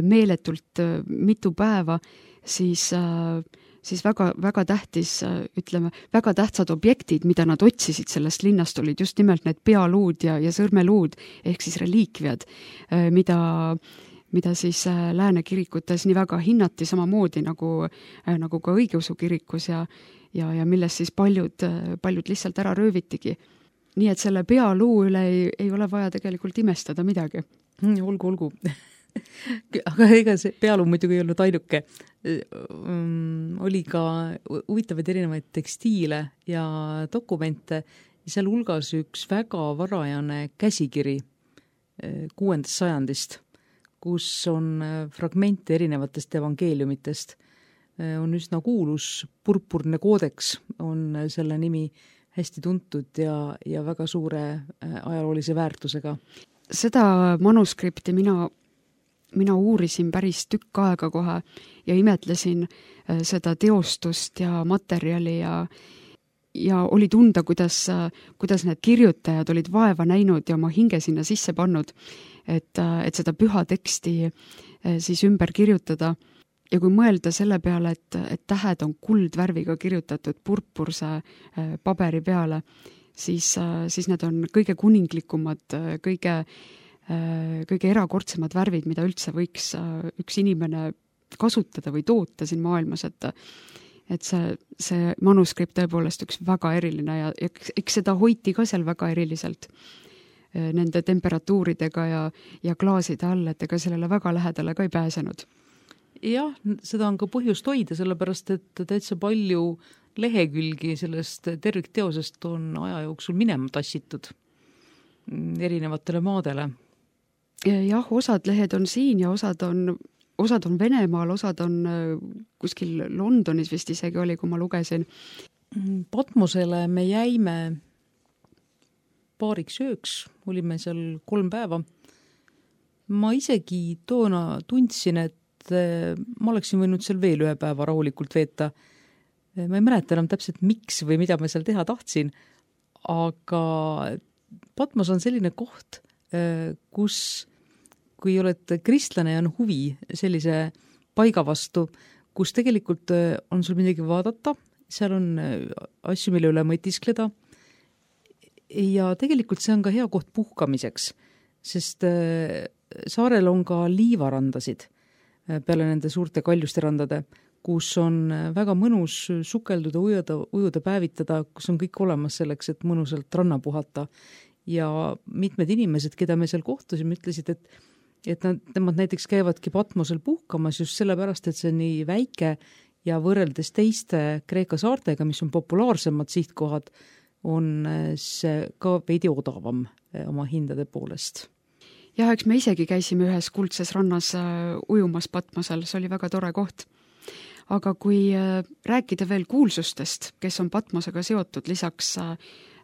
meeletult mitu päeva, siis, siis väga, väga tähtis, ütleme, väga tähtsad objektid, mida nad otsisid sellest linnast, olid just nimelt need pealuud ja, ja sõrmeluud, ehk siis reliikviad, mida mida siis lääne kirikutes nii väga hinnati samamoodi nagu, nagu ka õigeusu kirikus ja, ja, ja millest siis paljud, paljud lihtsalt ära röövitigi. Nii et selle pealuu üle ei, ei ole vaja tegelikult imestada midagi. Olgu, olgu. Aga ega see pealuu muidugi ei olnud ainuke. Oli ka huvitavaid erinevaid tekstiile ja dokumente ja seal hulgas üks väga varajane käsikiri kuuendast sajandist, kus on fragmente erinevatest evangeeliumitest. On üsna kuulus, purpurne koodeks on selle nimi hästi tuntud ja, ja väga suure ajaloolise väärtusega. Seda manuskripti mina, mina uurisin päris tükk aega kohe ja imetlesin seda teostust ja materjali ja ja oli tunda, kuidas, kuidas need kirjutajad olid vaeva näinud ja oma hinge sinna sisse pannud, et, et seda püha teksti siis ümber kirjutada. Ja kui mõelda selle peale, et, et tähed on kuldvärviga kirjutatud purpurse paberi peale, siis, siis need on kõige kuninglikumad, kõige, kõige erakordsemad värvid, mida üldse võiks üks inimene kasutada või toota siin maailmas, et et see, see manuskript tõepoolest üks väga eriline ja eks, eks seda hoiti ka seal väga eriliselt nende temperatuuridega ja, ja klaaside all, et ega sellele väga lähedale ka ei pääsenud. Jah, seda on ka põhjust hoida, sellepärast et täitsa palju lehekülgi sellest tervikteosest on aja jooksul minema tassitud erinevatele maadele. Jah, osad lehed on siin ja osad on osad on Venemaal, osad on kuskil Londonis vist isegi oli, kui ma lugesin. Patmosele me jäime paariks ööks, olime seal kolm päeva. Ma isegi toona tundsin, et ma oleksin võinud seal veel ühe päeva rahulikult veeta. Ma ei mäleta enam täpselt miks või mida ma seal teha tahtsin, aga Patmos on selline koht, kus kui oled kristlane ja on huvi sellise paiga vastu, kus tegelikult on sul midagi vaadata, seal on asju, mille üle mõtiskleda ja tegelikult see on ka hea koht puhkamiseks, sest saarel on ka liivarandasid, peale nende suurte kaljusterandade, kus on väga mõnus sukelduda, ujuda, ujuda, päevitada, kus on kõik olemas selleks, et mõnusalt ranna puhata. Ja mitmed inimesed, keda me seal kohtusime, ütlesid, et, et nad, nemad näiteks käivadki Patmosel puhkamas just sellepärast, et see on nii väike ja võrreldes teiste Kreeka saartega, mis on populaarsemad sihtkohad, on see ka veidi odavam oma hindade poolest. jah, eks me isegi käisime ühes kuldses rannas ujumas Patmosel, see oli väga tore koht. Aga kui rääkida veel kuulsustest, kes on Patmosega seotud, lisaks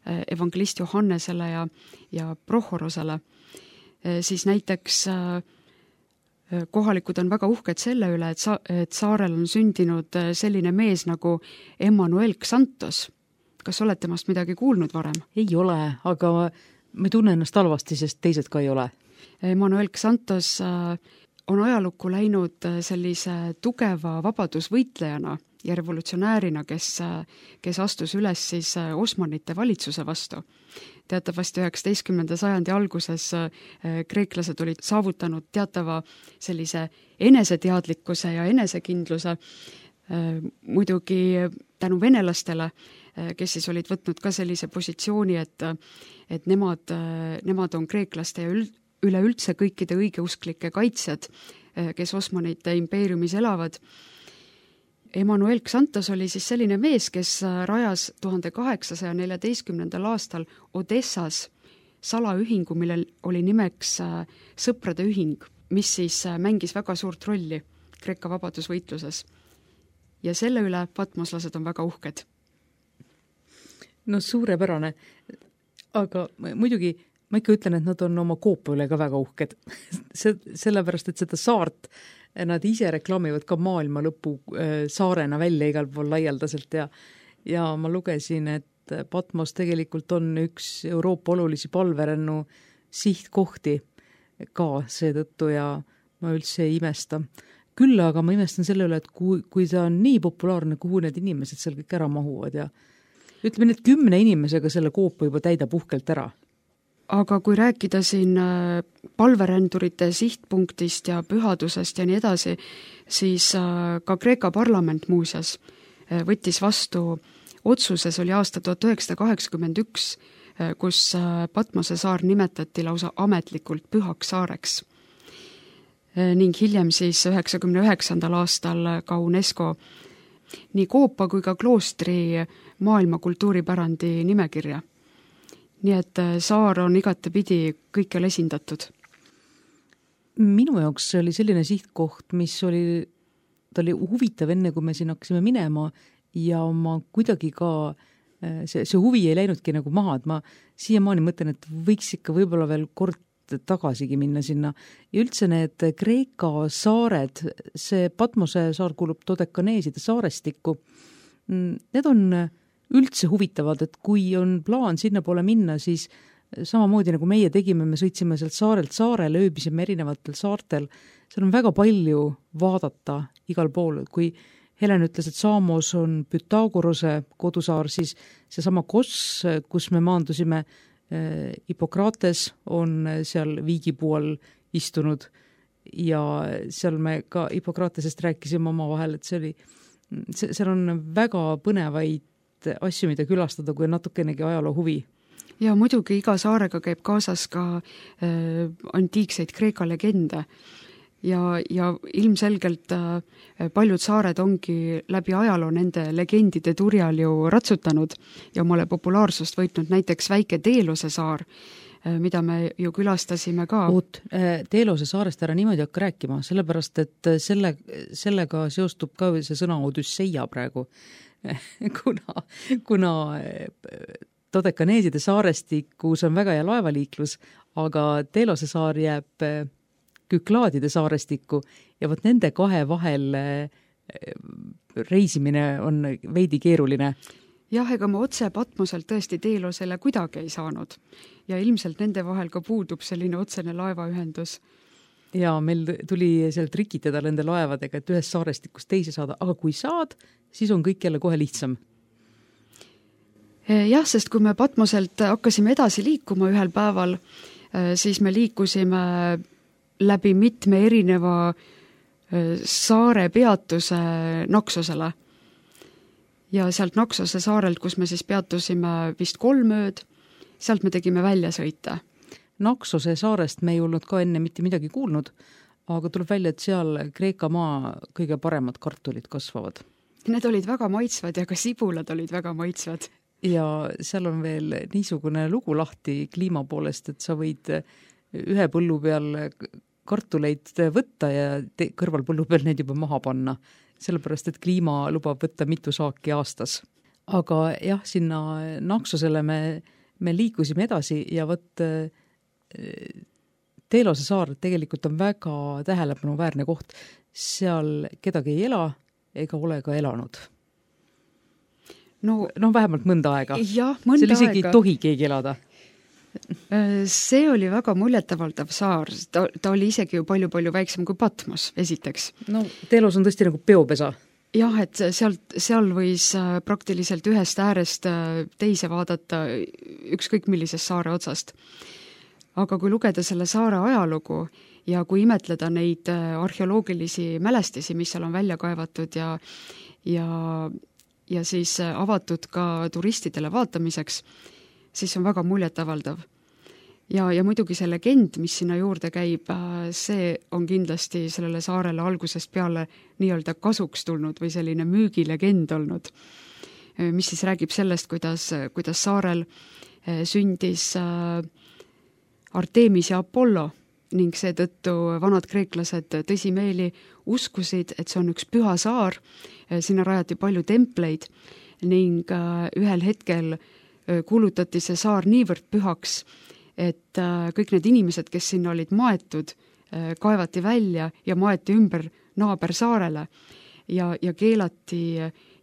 evangelist Johannesele ja, ja Prohorosele, siis näiteks kohalikud on väga uhked selle üle, et, sa, et saarel on sündinud selline mees nagu Emmanuel Xantos. Kas oled temast midagi kuulnud varem? Ei ole, aga ma ei tunne ennast halvasti, sest teised ka ei ole. Emmanuel Xantos on ajalukku läinud sellise tugeva vabadusvõitlejana ja revolutsionäärina, kes, kes astus üles siis Osmanite valitsuse vastu. Teatavasti üheksateistkümnenda sajandi alguses kreeklased olid saavutanud teatava sellise eneseteadlikkuse ja enesekindluse, muidugi tänu venelastele, kes siis olid võtnud ka sellise positsiooni, et, et nemad, nemad on kreeklaste ja üld, üleüldse kõikide õigeusklike kaitsjad, kes Osmanite impeeriumis elavad. Emmanuel Xantos oli siis selline mees, kes rajas tuhande kaheksasaja neljateistkümnendal aastal Odessas salaühingu, millel oli nimeks Sõprade ühing, mis siis mängis väga suurt rolli Kreeka vabadusvõitluses. Ja selle üle patmoslased on väga uhked. No suurepärane, aga muidugi ma ikka ütlen, et nad on oma koopa üle ka väga uhked. See, sellepärast, et seda saart nad ise reklaamivad ka maailma lõpu saarena välja igal pool laialdaselt ja, ja ma lugesin, et Patmos tegelikult on üks Euroopa olulisi palverännu sihtkohti ka seetõttu ja ma üldse ei imesta. Küll aga ma imestan selle üle, et kui, kui ta on nii populaarne, kuhu need inimesed seal kõik ära mahuvad ja ütleme, need kümne inimesega selle koopa juba täidab uhkelt ära. Aga kui rääkida siin palverändurite sihtpunktist ja pühadusest ja nii edasi, siis ka Kreeka parlament muuseas võttis vastu otsuses, oli aasta tuhat üheksasada kaheksakümmend üks, kus Patmose saar nimetati lausa ametlikult pühaks saareks. Ning hiljem siis üheksakümne üheksandal aastal ka UNESCO nii koopa kui ka kloostri maailma kultuuripärandi nimekirja. Nii et saar on igatepidi kõikjal esindatud. Minu jaoks see oli selline sihtkoht, mis oli, ta oli huvitav enne, kui me siin hakkasime minema ja ma kuidagi ka, see, see huvi ei läinudki nagu maha, et ma siiamaani mõtlen, et võiks ikka võib-olla veel kord tagasigi minna sinna. Ja üldse need Kreeka saared, see Patmose saar kuulub Dodekaneeside saarestikku, need on üldse huvitavad, et kui on plaan sinna poole minna, siis samamoodi nagu meie tegime, me sõitsime sealt saarelt saarele, ööbisime erinevatel saartel, seal on väga palju vaadata igal pool. Kui Helen ütles, et Saamos on Pythagorose kodusaar, siis seesama Kos, kus me maandusime, Hippokrates on seal viigipuu all istunud ja seal me ka Hippokratesest rääkisime oma vahel, et see oli, seal on väga põnevaid asju, mida külastada, kui natukenegi ajaloo huvi. Ja muidugi iga saarega käib kaasas ka äh, antiikseid Kreeka legende ja, ja ilmselgelt äh, paljud saared ongi läbi ajaloo nende legendide turjal ju ratsutanud ja omale populaarsust võitnud, näiteks väike Teelose saar, äh, mida me ju külastasime ka. Oot, Teelose saarest ära niimoodi hakka rääkima, sellepärast et selle, sellega seostub ka see sõna Odüsseia praegu. kuna, kuna Dodekaneeside saarestikus on väga hea laevaliiklus, aga Teelose saar jääb Küklaadide saarestikku ja võt nende kahe vahel reisimine on veidi keeruline. Jah, ega ma otse Patmoselt tõesti Teelosele kuidagi ei saanud ja ilmselt nende vahel ka puudub selline otsene laevaühendus. Ja meil tuli seal trikitada nende laevadega, et ühest saarestikust teise saada, aga kui saad, siis on kõik jälle kohe lihtsam. Jah, sest kui me Patmoselt hakkasime edasi liikuma ühel päeval, siis me liikusime läbi mitme erineva saare peatuse Naksosele. Ja sealt Naksose saarelt, kus me siis peatusime vist kolm ööd, sealt me tegime väljasõite. Naksose saarest me ei olnud ka enne mitte midagi kuulnud, aga tuleb välja, et seal Kreeka maa kõige paremad kartulid kasvavad. Need olid väga maitsvad ja ka sibulad olid väga maitsvad. Ja seal on veel niisugune lugu lahti kliima poolest, et sa võid ühe põllu peal kartuleid võtta ja te- kõrval põllu peal neid juba maha panna, sellepärast, et kliima lubab võtta mitu saaki aastas. Aga jah, sinna Naksosele me, me liikusime edasi ja võt Teelose saar tegelikult on väga tähelepanuväärne koht. Seal kedagi ei ela ega ole ka elanud. No, no vähemalt mõnda aega. Jah, mõnda Seal isegi aega. ei tohi keegi elada. See oli väga muljetavaldav saar. Ta, ta oli isegi ju palju-palju väiksem kui Patmos, esiteks. No Teelos on tõesti nagu peopesa. Jah, et sealt, seal võis praktiliselt ühest äärest teise vaadata ükskõik millisest saare otsast. Aga kui lugeda selle saare ajalugu ja kui imetleda neid arheoloogilisi mälestisi, mis seal on välja kaevatud ja, ja, ja siis avatud ka turistidele vaatamiseks, siis on väga muljetavaldav. Ja, ja muidugi see legend, mis sinna juurde käib, see on kindlasti sellele saarele algusest peale nii-öelda kasuks tulnud või selline müügilegend olnud, mis siis räägib sellest, kuidas, kuidas saarel sündis Artemis ja Apollo ning seetõttu vanad kreeklased tõsimeeli uskusid, et see on üks püha saar, sinna rajati palju templeid ning ühel hetkel kuulutati see saar niivõrd pühaks, et kõik need inimesed, kes sinna olid maetud, kaevati välja ja maeti ümber naabersaarele ja, ja keelati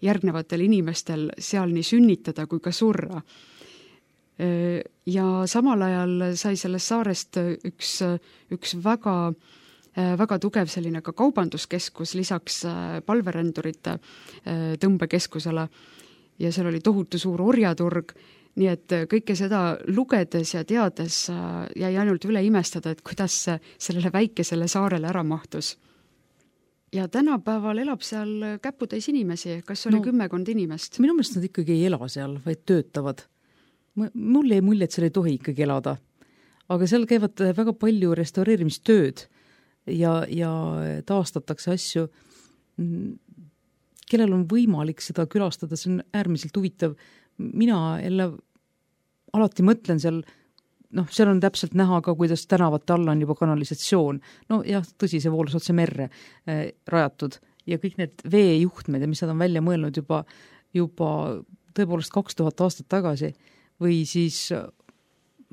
järgnevatel inimestel seal nii sünnitada kui ka surra. Ja samal ajal sai sellest saarest üks, üks väga, väga tugev selline ka kaubanduskeskus lisaks palverändurite tõmbekeskusele ja seal oli tohutu suur orjaturg, nii et kõike seda lugedes ja teades jäi ainult üle imestada, et kuidas sellele väikesele saarele ära mahtus. Ja tänapäeval elab seal käputäis inimesi, kas oli no, kümmekond inimest? Minu meelest nad ikkagi ei ela seal, vaid töötavad. Mulle ei mulje, et seal ei tohi ikkagi elada. Aga seal käivad väga palju restaureerimistööd ja, ja taastatakse asju, kellel on võimalik seda külastada, see on äärmiselt huvitav. Mina jälle alati mõtlen seal, noh, seal on täpselt näha ka, kuidas tänavate alla on juba kanalisatsioon. No jah, tõsi, see voolus otse merre äh, rajatud ja kõik need veejuhtmed ja mis nad on välja mõelnud juba, juba tõepoolest kaks tuhat aastat tagasi või siis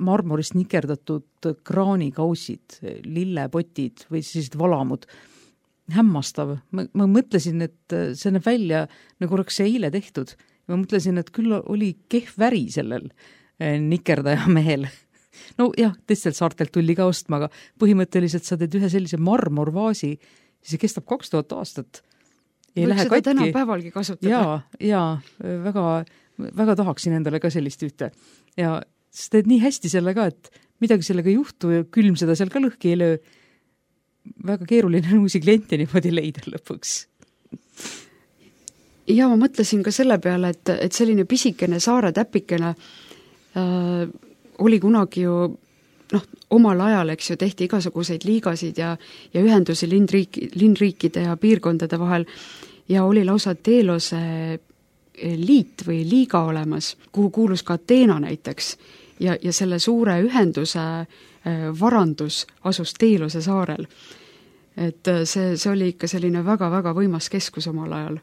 marmorist nikerdatud kraanikausid, lillepotid või siis valamud. Hämmastav. Ma, ma mõtlesin, et see näeb välja, nagu oleks see eile tehtud. Ma mõtlesin, et küll oli kehv väri sellel nikerdaja mehel. No jah, teistelt saartelt tulli ka ostma, aga põhimõtteliselt sa teed ühe sellise marmorvaasi, see kestab kaks tuhat aastat. Ei Võiks lähe seda katki. tänapäevalgi kasutada. Jaa, jaa, väga, väga tahaksin endale ka sellist ühte. Ja sa teed nii hästi selle ka, et midagi sellega ei juhtu ja külm seda seal ka lõhki ei löö. Väga keeruline uusi kliente niimoodi leida lõpuks. Ja ma mõtlesin ka selle peale, et, et selline pisikene saare täpikene äh, oli kunagi ju noh, omal ajal, eks ju, tehti igasuguseid liigasid ja, ja ühendusi linnriiki, linnriikide ja piirkondade vahel ja oli lausa Teelose liit või liiga olemas, kuhu kuulus ka Ateena näiteks ja, ja selle suure ühenduse varandus asus Teelose saarel. Et see, see oli ikka selline väga-väga võimas keskus omal ajal.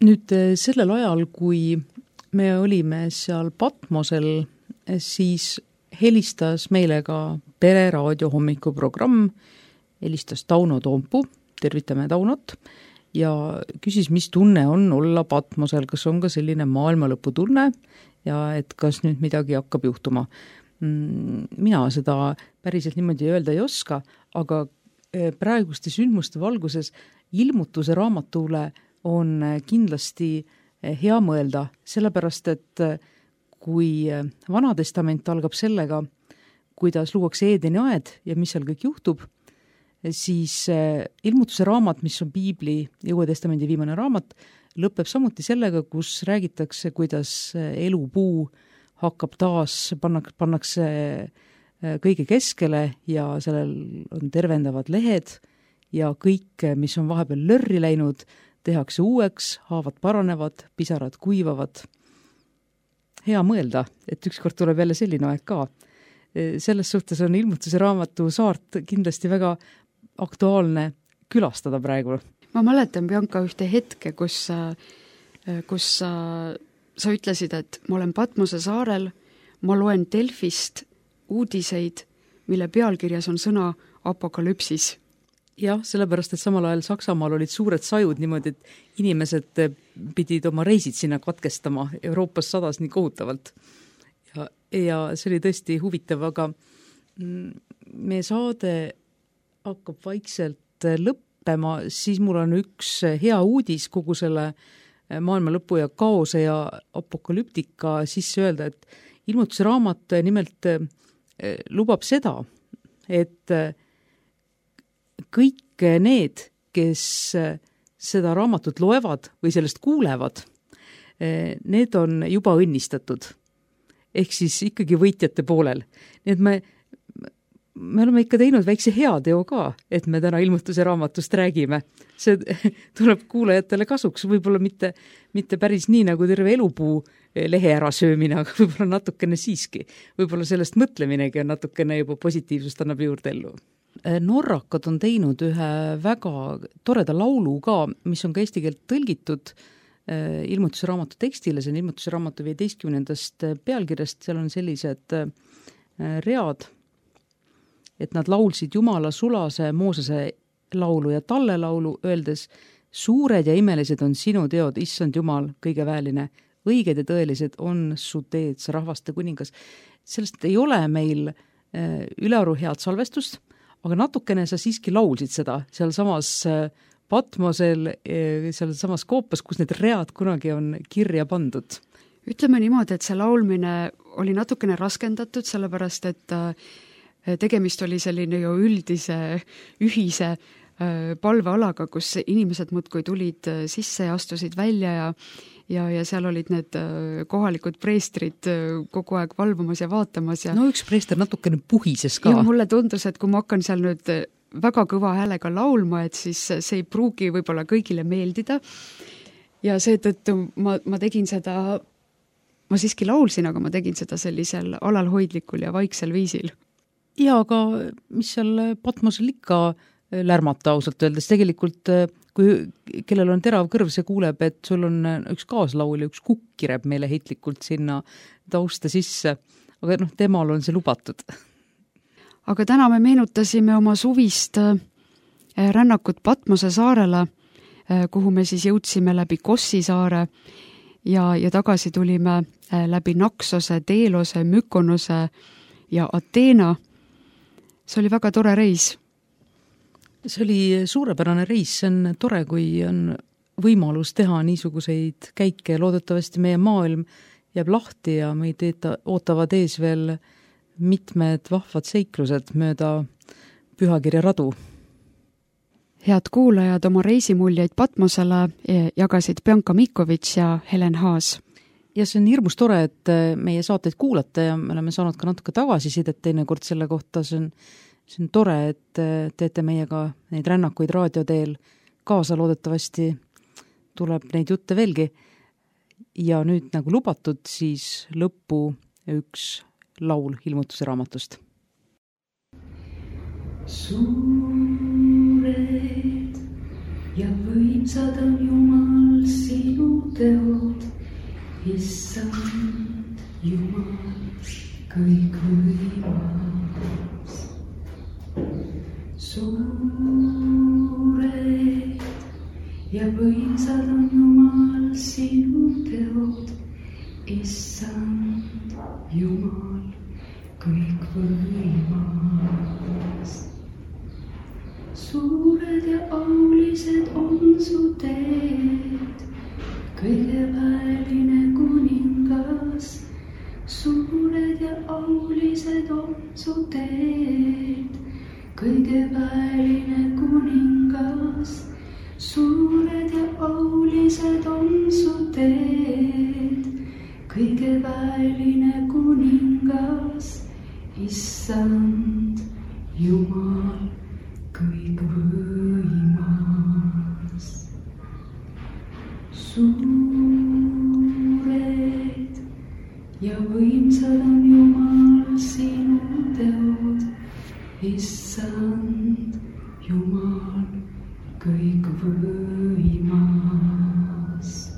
Nüüd sellel ajal, kui me olime seal Patmosel, siis helistas meile ka pereraadio hommikuprogramm, helistas Tauno Toompu, tervitame Taunot, ja küsis, mis tunne on olla Patmosel, kas on ka selline maailmalõpu tunne ja et kas nüüd midagi hakkab juhtuma. Mina seda päriselt niimoodi öelda ei oska, aga praeguste sündmuste valguses ilmutuse raamatule on kindlasti hea mõelda, sellepärast et kui Vanatestament algab sellega, kuidas luuakse Eedeni aed ja mis seal kõik juhtub, siis ilmutuse raamat, mis on Piibli ja Uue Testamendi viimane raamat, lõpeb samuti sellega, kus räägitakse, kuidas elupuu hakkab taas, pannak, pannakse kõige keskele ja sellel on tervendavad lehed ja kõik, mis on vahepeal lörri läinud, tehakse uueks, haavad paranevad, pisarad kuivavad. Hea mõelda, et ükskord tuleb jälle selline aeg ka. Selles suhtes on ilmutuse raamatu saart kindlasti väga aktuaalne külastada praegu. Ma mäletan, Bianca, ühte hetke, kus, kus sa, sa ütlesid, et ma olen Patmose saarel, ma loen Delfist uudiseid, mille pealkirjas on sõna apokalüpsis. Jah, sellepärast, et samal ajal Saksamaal olid suured sajud niimoodi, et inimesed pidid oma reisid sinna katkestama. Euroopas sadas nii kohutavalt. Ja, ja see oli tõesti huvitav, aga meie saade hakkab vaikselt lõppema, siis mul on üks hea uudis kogu selle maailma lõpu ja kaose ja apokalyptika sisse öelda, et ilmutuse raamat nimelt lubab seda, et kõik need, kes seda raamatut loevad või sellest kuulevad, need on juba õnnistatud. Ehk siis ikkagi võitjate poolel. Nii et me, me oleme ikka teinud väikse heateo ka, et me täna ilmutuse raamatust räägime. See tuleb kuulajatele kasuks, võib-olla mitte, mitte päris nii nagu terve elupuu lehe ära söömine, aga võib-olla natukene siiski. Võib-olla sellest mõtleminegi on natukene juba positiivsust annab juurde ellu. Norrakad on teinud ühe väga toreda laulu ka, mis on ka eesti keelt tõlgitud ilmutuse raamatu tekstile, see on ilmutuse raamatu viieteistkümnendast pealkirjast, seal on sellised read, et nad laulsid Jumala sulase Moosese laulu ja talle laulu, öeldes, suured ja imelised on sinu teod, issand Jumal, kõige väeline, õiged ja tõelised on su teed, sa rahvaste kuningas. Sellest ei ole meil ülearu head salvestust, aga natukene sa siiski laulsid seda seal samas Patmosel, seal samas Koopas, kus need read kunagi on kirja pandud. Ütleme niimoodi, et see laulmine oli natukene raskendatud, sellepärast, et tegemist oli selline ju üldise, ühise palvealaga, kus inimesed muudkui tulid sisse ja astusid välja ja ja, ja seal olid need kohalikud preestrid kogu aeg valvumas ja vaatamas. Ja no üks preester natukene puhises ka. Ja mulle tundus, et kui ma hakkan seal nüüd väga kõva häälega laulma, et siis see ei pruugi võib-olla kõigile meeldida. Ja seetõttu ma, ma tegin seda, ma siiski laulsin, aga ma tegin seda sellisel alalhoidlikul ja vaiksel viisil. Ja, aga mis seal Patmosel ikka lärmata ausalt öeldes, tegelikult kui kellel on terav kõrv, see kuuleb, et sul on üks kaaslaul ja üks kukk kireb meile heitlikult sinna tausta sisse, aga noh, temal on see lubatud. Aga täna me meenutasime oma suvist rännakut Patmose saarele, kuhu me siis jõudsime läbi Kossi saare ja, ja tagasi tulime läbi Naksose, Deelose, Mykonose ja Ateena. See oli väga tore reis. See oli suurepärane reis, see on tore, kui on võimalus teha niisuguseid käike. Loodetavasti meie maailm jääb lahti ja meid ootavad ees veel mitmed vahvad seiklused mööda pühakirja radu. Head kuulajad, oma reisimuljeid Patmosele jagasid Bianca Mikovits ja Helen Haas. Ja see on hirmus tore, et meie saateid kuulata ja me oleme saanud ka natuke tagasisidet teinekord selle kohta. See on, see on tore, et teete meiega neid rännakuid raadioteel kaasa, loodetavasti tuleb neid jutte veelgi. Ja nüüd nagu lubatud, siis lõppu üks laul ilmutuse raamatust. Suured ja võimsad on Jumal sinu teod, issand Jumal kõik võimas. Suured ja võimsad on Jumal sinu teod, issand Jumal kõik võimas. Suured ja aulised on su teed, kõige väeline kuningas. Suured ja aulised on su teed, kõigeväeline kuningas, suured ja aulised on su teed. kõigeväeline kuningas, issand Jumal kõikvõimas. suured ja võimsad on Jumal sinu teod, issand Jumal kõikvõimas.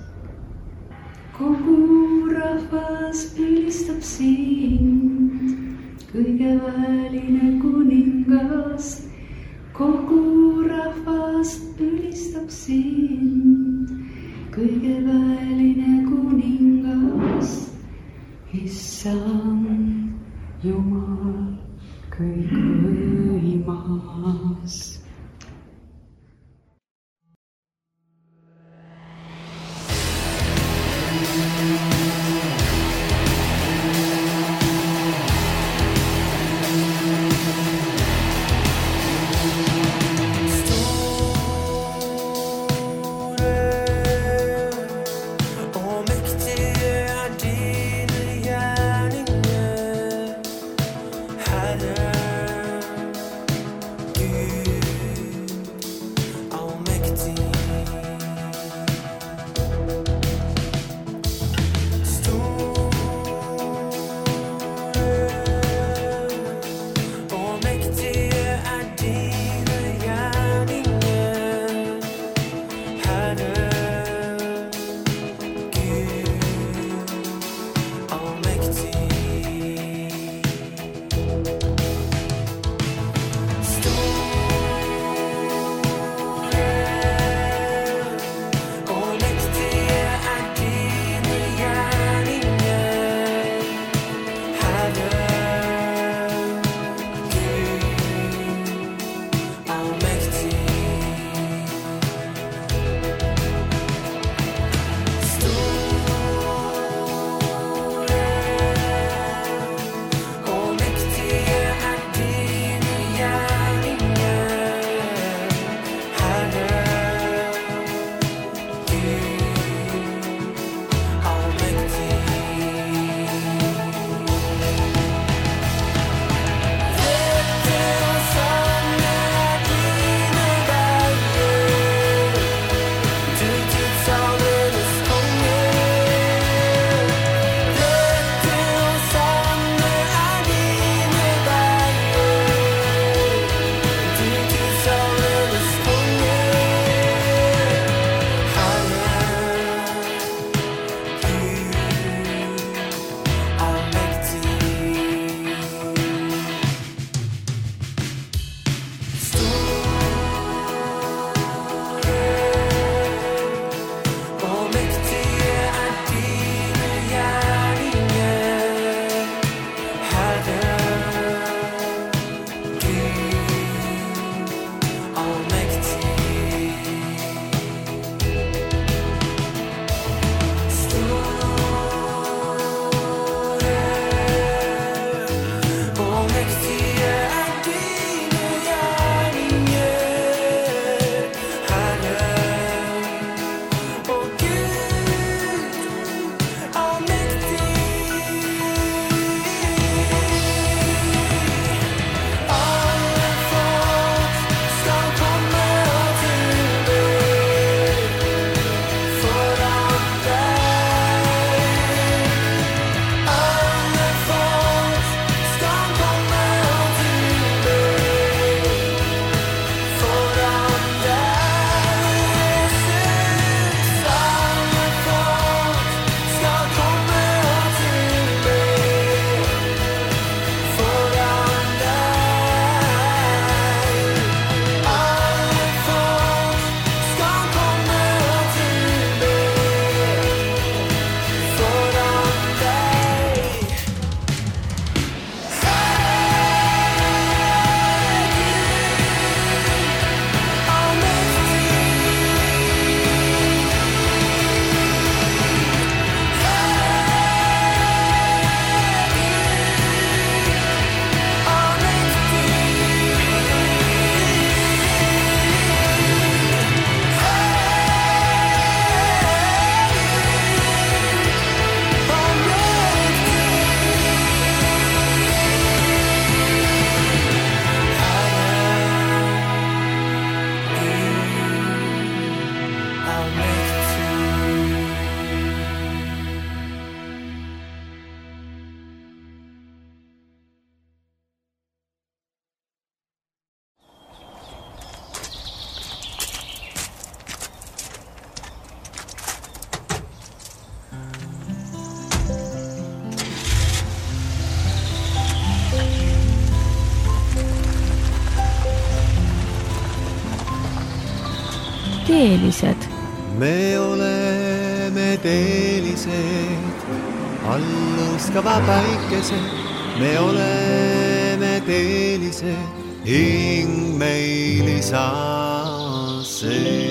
kogu rahvas ülistab sind, kõigeväeline kuningas, kogu rahvas ülistab sind, kõigeväeline kuningas, issand Jumal kõikvõimas. teelised? me oleme teelised, allustava päikese, me oleme teelised, hing meil isa see.